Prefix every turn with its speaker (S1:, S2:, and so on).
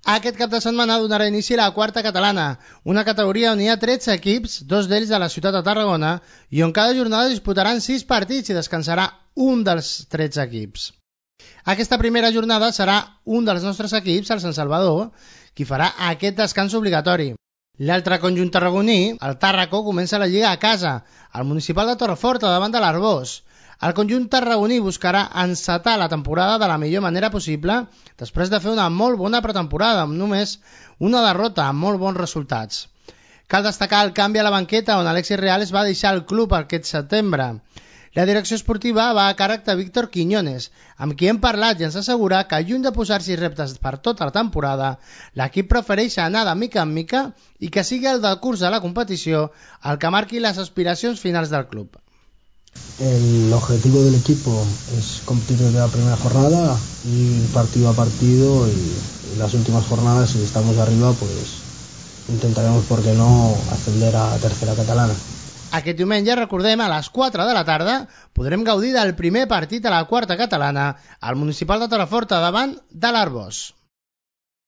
S1: Aquest cap de setmana donarà inici a la quarta catalana, una categoria on hi ha 13 equips, 2 d'ells de la ciutat de Tarragona, i on cada jornada disputaran 6 partits i descansarà un dels 13 equips. Aquesta primera jornada serà un dels nostres equips, el Sant Salvador, qui farà aquest descans obligatori. L'altre conjunt tarragoní, el Tàrraco, comença la lliga a casa, al municipal de Torreforta, davant de l'Arbós. El conjunt tarragoní buscarà encetar la temporada de la millor manera possible després de fer una molt bona pretemporada amb només una derrota amb molt bons resultats. Cal destacar el canvi a la banqueta on Alexis Reales va deixar el club aquest setembre. La direcció esportiva va a càrrec de Víctor Quiñones, amb qui hem parlat i ens assegura que lluny de posar-s'hi reptes per tota la temporada, l'equip prefereix anar de mica en mica i que sigui el del curs de la competició el que marqui les aspiracions finals del club.
S2: El objetivo del equipo es competir desde la primera jornada y partido a partido y las últimas jornadas, si estamos arriba, pues intentaremos, por qué no, ascender a tercera catalana.
S1: Aquest diumenge, recordem, a les 4 de la tarda podrem gaudir del primer partit a la quarta catalana al municipal de Torreforta davant de l'Arbós.